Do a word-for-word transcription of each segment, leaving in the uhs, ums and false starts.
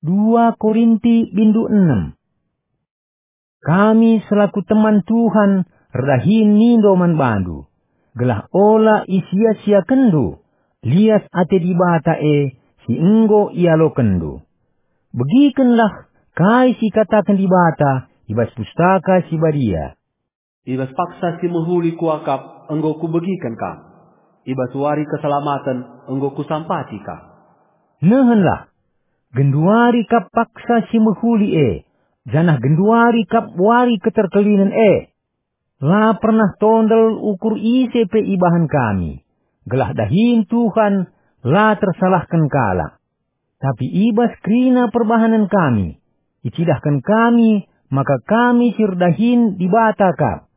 Dua Korinti bindu enem. Kami selaku teman Tuhan erdahin mindo man bandu, gelah ola isia-siakenndu lias ate Dibata e si enggo ialokenndu. Begikenlah kai si ikataken Dibata i bas Pustaka Si Badia. "I bas paksa si mehuli kuakap enggo kubegiken kam. I bas wari keselamaten enggo kusampati kam." Nehenlah, genduari kap paksa si mehuli e, janah genduari kap wari keterkelinen e. La pernah tondel ukur ise pe ibahan kami, gelah dahin Tuhan la tersalahken kalak. Tapi i bas kerina perbahanen kami, icidahken kami maka kami si erdahin Dibata kap.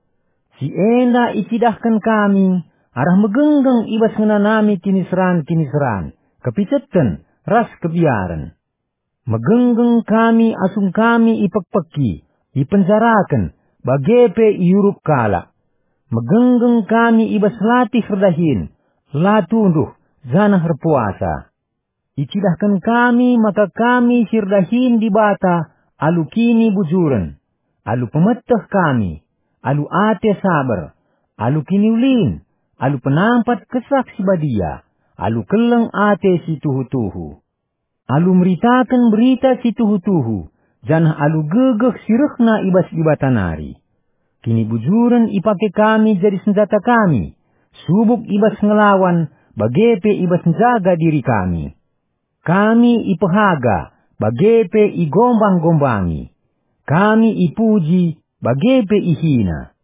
Si enda icidahken kami arah megenggeng i bas ngenanami kiniseran-kiniseran, kepiceten, ras kebiaren. Megenggeng kami asum kami ipekpeki, ipenjaraken, bage pe iurup kalak. Megenggeng kami i bas latih erdahin, la tunduh, janah erpuasa. Icidahken kami maka kami si erdahin Dibata alu kinibujuren, alu pemeteh kami, alu ate saber, alu kiniulin, alu penampat Kesah Si Badia, alu keleng ate si tuhu-tuhu, alu meritaken berita si tuhu-tuhu, janah alu gegeh si rehna i bas Dibata nari. Kinibujuren ipake kami jadi senjata kami, subuk i bas ngelawan, bage pe i bas njaga diri kami. Kami ipehaga, bage pe igombang-gombangi. Kami ipuji, bage pe ihina.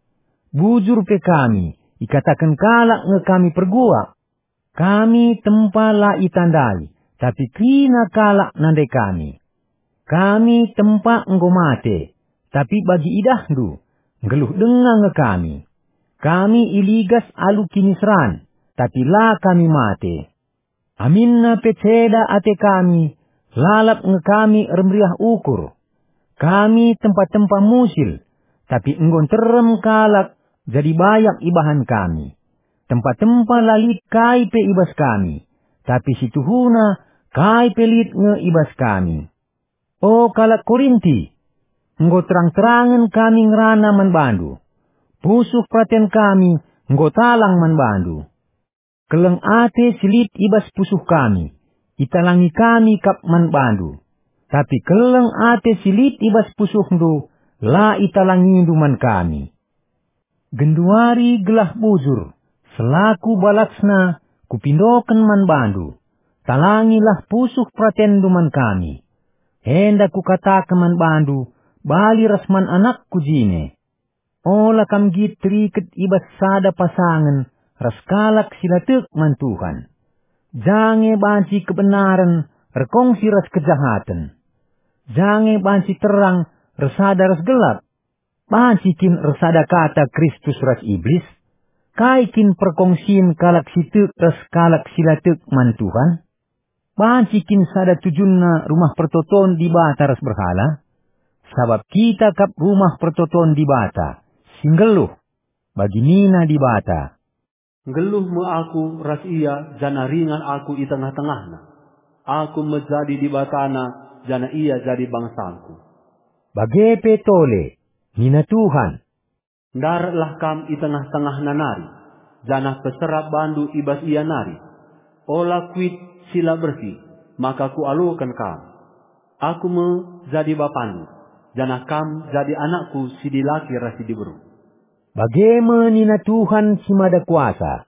Bujur pe kami, ikataken kalak nge kami perguak. Kami tempa la itandai, tapi kerina kalak nandai kami. Kami tempa enggo mate, tapi bagi idahndu, nggeluh denga nge kami. Kami iligas alu kiniseran, tapi la kami mate. Aminna pe ceda ate kami, lalap nge kami ermeriah ukur. Kami tempa-tempa musil, tapi enggo nterem kalak jadi bayak ibahan kami. Tempa-tempa la lit kai pe i bas kami, tapi si tuhuna kai pe lit nge i bas kami. O kalak Korinti, enggo terang-terangen kami ngerana man bandu. Pusuh peraten kami enggo talang man bandu. Keleng ate si lit i bas pusuh kami, italangi kami kap man bandu. Tapi keleng ate si lit i bas pusuhndu, la italangindu man kami. Genduari gelah bujur, selaku balasna, kupindoken man bandu. Talangilah pusuh peratenndu man kami. Enda kukataken man bandu, bali ras man anakku jine. Ola kam nggit teriket i bas sada pasangen ras kalak si la tek man Tuhan. Jange banci kebenaren erkongsi ras kejahaten. Jange banci terang ersada ras gelap. Banci kin ersada kata Kristus ras Iblis? Kai kin perkongsin kalak si tek ras kalak si la tek man Tuhan? Banci kin sada tujunna rumah pertoton Dibata ras berhala? Sabap kita kap rumah pertoton Dibata, si nggeluh. Bagi nina Dibata, "Nggeluh me Aku ras ia, janah ringan Aku i tengah-tengahna. Aku me jadi Dibatana, janah ia jadi bangsaNku." Bage pe tole, nina Tuhan, "Ndaratlah kam i tengah-tengahna nari, janah peserap bandu i bas ia nari. Ola kuit si la bersih, maka Kualoken kam. Aku me jadi Bapandu, janah kam jadi anakKu si dilaki ras si diberu." Bage me nina Tuhan si Mada Kuasa,